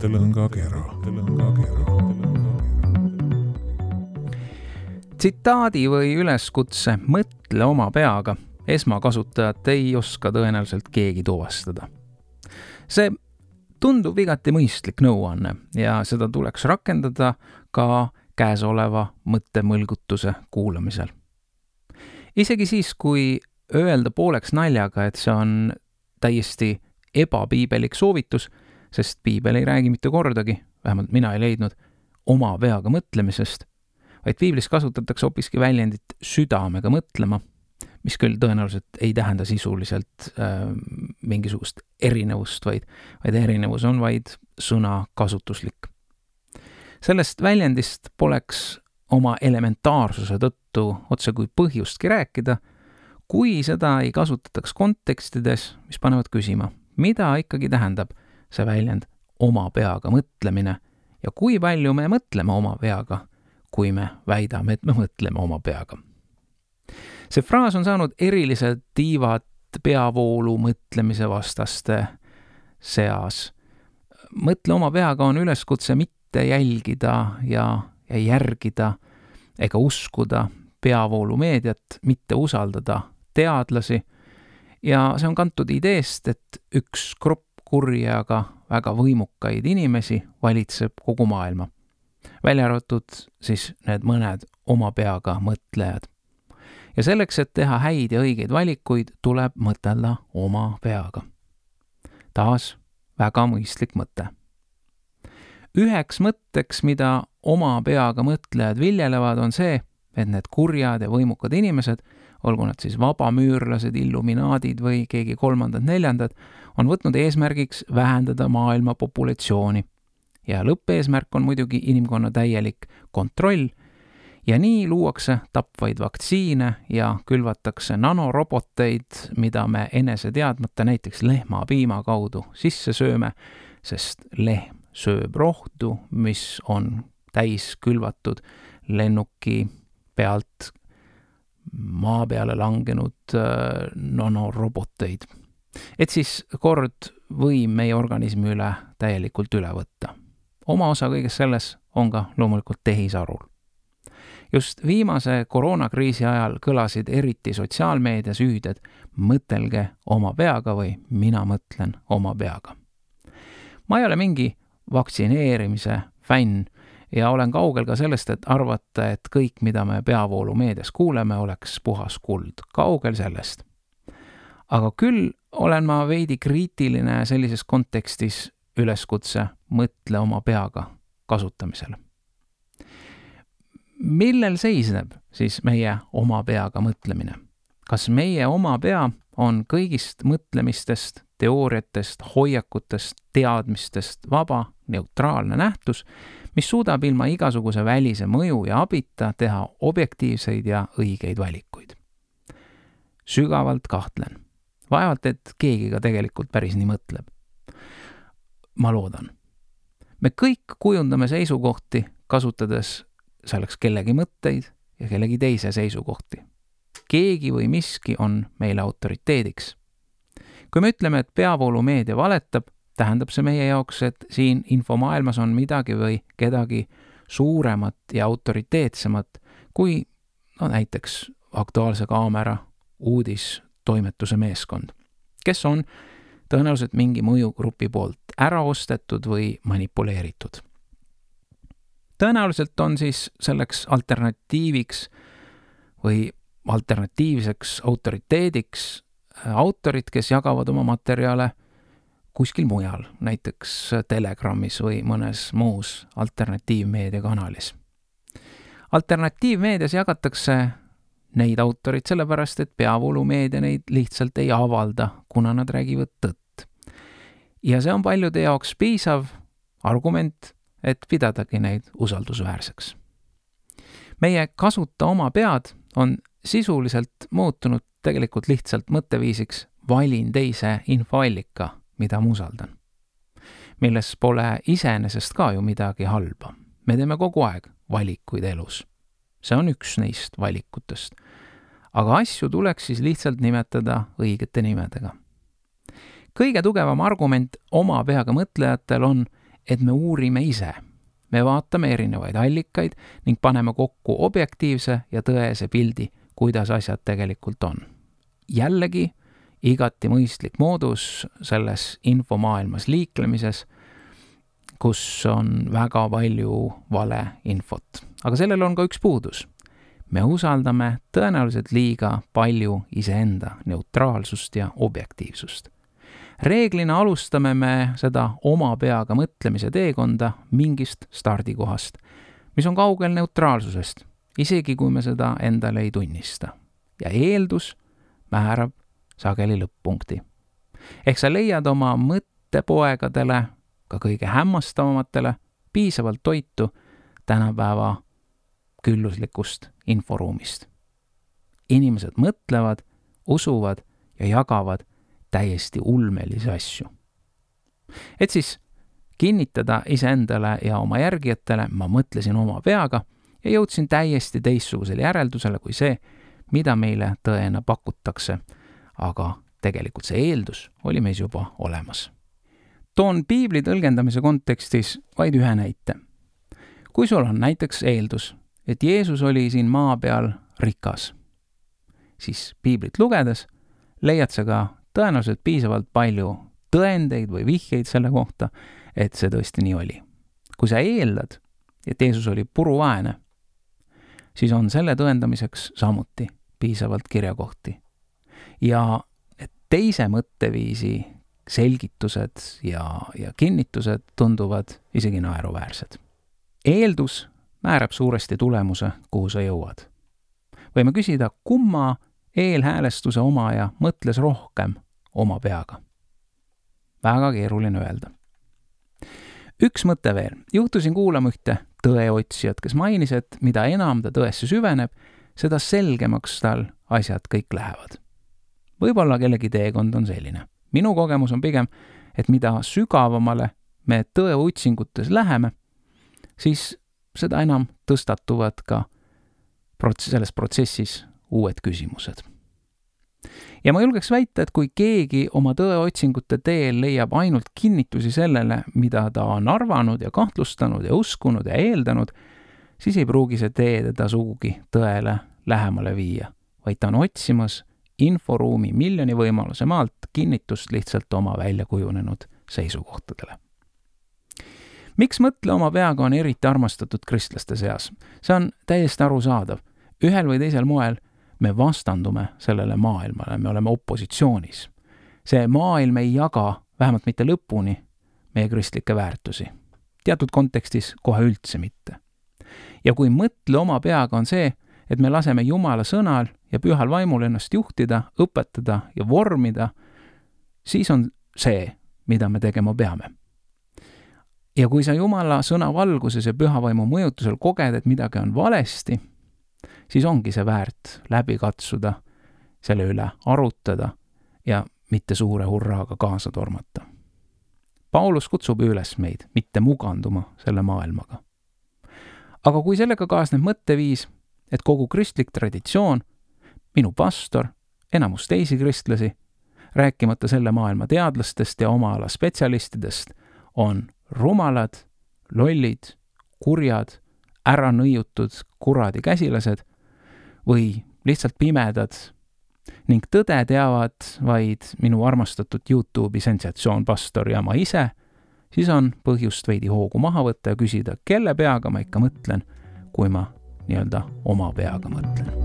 mõttelõngakera. Tsitaadi või üleskutse mõtle oma peaga esmakasutajat ei oska tõenäoliselt keegi tuvastada. See tundub igati mõistlik nõuanne ja seda tuleks rakendada ka käesoleva mõttemõlgutuse kuulamisel. Isegi siis, kui öelda pooleks naljaga, et see on täiesti ebapiibelik soovitus, sest piibel ei räägi mitte kordagi, vähemalt mina ei leidnud, oma peaga mõtlemisest, vaid piiblis kasutatakse hoopiski väljendit südamega mõtlema, mis küll tõenäoliselt ei tähenda sisuliselt mingisugust erinevust, vaid erinevus on vaid sõna kasutuslik. Sellest väljendist poleks oma elementaarsuse tõttu otse kui põhjustki rääkida, kui seda ei kasutataks kontekstides, mis panevad küsima, mida ikkagi tähendab see väljend oma peaga mõtlemine ja kui palju me mõtleme oma peaga, kui me väidame, et me mõtleme oma peaga. See fraas on saanud erilised tiivad peavoolu mõtlemise vastaste seas. Mõtle oma peaga on üleskutse mitte jälgida ja järgida ega uskuda peavoolumeediat, mitte usaldada teadlasi ja see on kantud ideest, et üks grupp kurja, aga väga võimukaid inimesi valitseb kogu maailma. Välja arvatud siis need mõned oma peaga mõtlejad. Ja selleks, et teha häid ja õigeid valikuid, tuleb mõtelda oma peaga. Taas väga mõistlik mõte. Üheks mõtteks, mida oma peaga mõtlejad viljelevad, on see, et need kurjad ja võimukad inimesed, olgu nad siis vabamüürlased, illuminaadid või keegi kolmandad, neljandad, on võtnud eesmärgiks vähendada maailma populatsiooni. Ja lõppeesmärk on muidugi inimkonna täielik kontroll ja nii luuakse tapvaid vaktsiine ja külvatakse nanoroboteid, mida me enese teadmata näiteks lehmapiima kaudu sisse sööme, sest lehm sööb rohtu, mis on täis külvatud lennuki pealt maa peale langenud nanoroboteid. Et siis kord võim meie organismi üle täielikult üle võtta. Oma osa kõiges selles on ka loomulikult tehisarul. Just viimase koroonakriisi ajal kõlasid eriti sotsiaalmeedias hüüded mõtelge oma peaga või mina mõtlen oma peaga. Ma ei ole mingi vaktsineerimise fänn ja olen kaugel ka sellest, et arvata, et kõik, mida me peavoolumeedias kuuleme, oleks puhas kuld. Kaugel sellest. Aga küll olen ma veidi kriitiline sellises kontekstis üleskutse mõtle oma peaga kasutamisele. Millel seisneb siis meie oma peaga mõtlemine? Kas meie oma pea on kõigist mõtlemistest, teooriatest, hoiakutest, teadmistest vaba, neutraalne nähtus, mis suudab ilma igasuguse välise mõju ja abita teha objektiivseid ja õigeid valikuid? Sügavalt kahtlen. Vaevalt, et keegi ka tegelikult päris nii mõtleb. Ma loodan. Me kõik kujundame seisukohti, kasutades selleks kellegi mõtteid ja kellegi teise seisukohti. Keegi või miski on meile autoriteediks. Kui me ütleme, et peavoolumeedia valetab, tähendab see meie jaoks, et siin infomaailmas on midagi või kedagi suuremat ja autoriteetsemat kui näiteks Aktuaalse Kaamera uudistoimetuse meeskond, kes on tõenäoliselt mingi mõjugrupi poolt ära ostetud või manipuleeritud. Tõenäoliselt on siis selleks alternatiiviks või alternatiivseks autoriteediks autorid, kes jagavad oma materjale kuskil mujal, näiteks Telegramis või mõnes muus alternatiivmeediakanalis. Alternatiivmeedias jagatakse neid autorid sellepärast, et peavoolumeedia neid lihtsalt ei avalda, kuna nad räägivad tõtt. Ja see on paljude jaoks piisav argument, et pidadagi neid usaldusväärseks. Meie kasuta oma pead on sisuliselt muutunud tegelikult lihtsalt mõtteviisiks valin teise infoallika, mida ma usaldan. Milles pole iseenesest ka ju midagi halba. Me teeme kogu aeg valikuid elus. See on üks neist valikutest. Aga asju tuleks siis lihtsalt nimetada õigete nimedega. Kõige tugevam argument oma peaga mõtlejatel on, et me uurime ise. Me vaatame erinevaid allikaid ning paneme kokku objektiivse ja tõese pildi, kuidas asjad tegelikult on. Jällegi igati mõistlik moodus selles infomaailmas liiklemises, kus on väga palju valeinfot. Aga sellel on ka üks puudus. Me usaldame tõenäoliselt liiga palju iseenda neutraalsust ja objektiivsust. Reeglina alustame me seda oma peaga mõtlemise teekonda mingist stardikohast, mis on kaugel neutraalsusest, isegi kui me seda endale ei tunnista. Ja eeldus määrab sageli lõpp-punkti. Ehk sa leiad oma mõttepoegadele, ka kõige hämmastavamatele, piisavalt toitu tänapäeva külluslikust inforuumist. Inimesed mõtlevad, usuvad ja jagavad täiesti ulmelisi asju. Et siis kinnitada iseendale ja oma järgijatele, ma mõtlesin oma peaga ja jõudsin täiesti teistsugusele järeldusele kui see, mida meile tõena pakutakse, aga tegelikult see eeldus oli meis juba olemas. Toon piibli tõlgendamise kontekstis vaid ühe näite. Kui sul on näiteks eeldus, et Jeesus oli siin maa peal rikas, siis piiblit lugedes leiad sa ka tõenäoliselt piisavalt palju tõendeid või vihjeid selle kohta, et see tõesti nii oli. Kui sa eeldad, et Jeesus oli puruvaene, siis on selle tõendamiseks samuti piisavalt kirjakohti. Ja teise mõtteviisi selgitused ja kinnitused tunduvad isegi naeruväärsed. Eeldus määrab suuresti tulemuse, kuhu sa jõuad. Võime küsida, kumma eelhäälestuse omaja mõtles rohkem oma peaga. Väga keeruline öelda. Üks mõte veel. Juhtusin kuulama ühte tõeotsijat, kes mainis, et mida enam ta tõesse süveneb, seda selgemaks tal asjad kõik lähevad. Võib-olla kellegi teekond on selline. Minu kogemus on pigem, et mida sügavamale me tõeotsingutes läheme, siis seda enam tõstatuvad ka selles protsessis uued küsimused. Ja ma julgeks väita, et kui keegi oma tõeotsingute teel leiab ainult kinnitusi sellele, mida ta on arvanud ja kahtlustanud ja uskunud ja eeldanud, siis ei pruugi see tee teda sugugi tõele lähemale viia, vaid ta on otsimas inforuumi miljoni võimaluse maalt kinnitust lihtsalt oma välja kujunenud seisukohtadele. Miks mõtle oma peaga on eriti armastatud kristlaste seas? See on täiesti arusaadav. Ühel või teisel moel me vastandume sellele maailmale, me oleme opositsioonis. See maailm ei jaga, vähemalt mitte lõpuni, meie kristlikke väärtusi. Teatud kontekstis kohe üldse mitte. Ja kui mõtle oma peaga on see, et me laseme Jumala sõnal ja pühal vaimul ennast juhtida, õpetada ja vormida, siis on see, mida me tegema peame. Ja kui sa Jumala sõna valguses ja püha vaimu mõjutusel koged, et midagi on valesti, siis ongi see väärt läbi katsuda, selle üle arutada ja mitte suure hurraaga kaasa tormata. Paulus kutsub üles meid mitte muganduma selle maailmaga. Aga kui sellega kaasneb mõtteviis, et kogu kristlik traditsioon, minu pastor, enamus teisi kristlasi, rääkimata selle maailma teadlastest ja oma ala spetsialistidest, on rumalad, lollid, kurjad, ära nõiutud kuradi käsilased või lihtsalt pimedad ning tõde teavad vaid minu armastatud YouTube'i sensatsioon pastor ja ma ise, siis on põhjust veidi hoogu maha võtta ja küsida, kelle peaga ma ikka mõtlen, kui ma nii-öelda oma peaga mõtlen.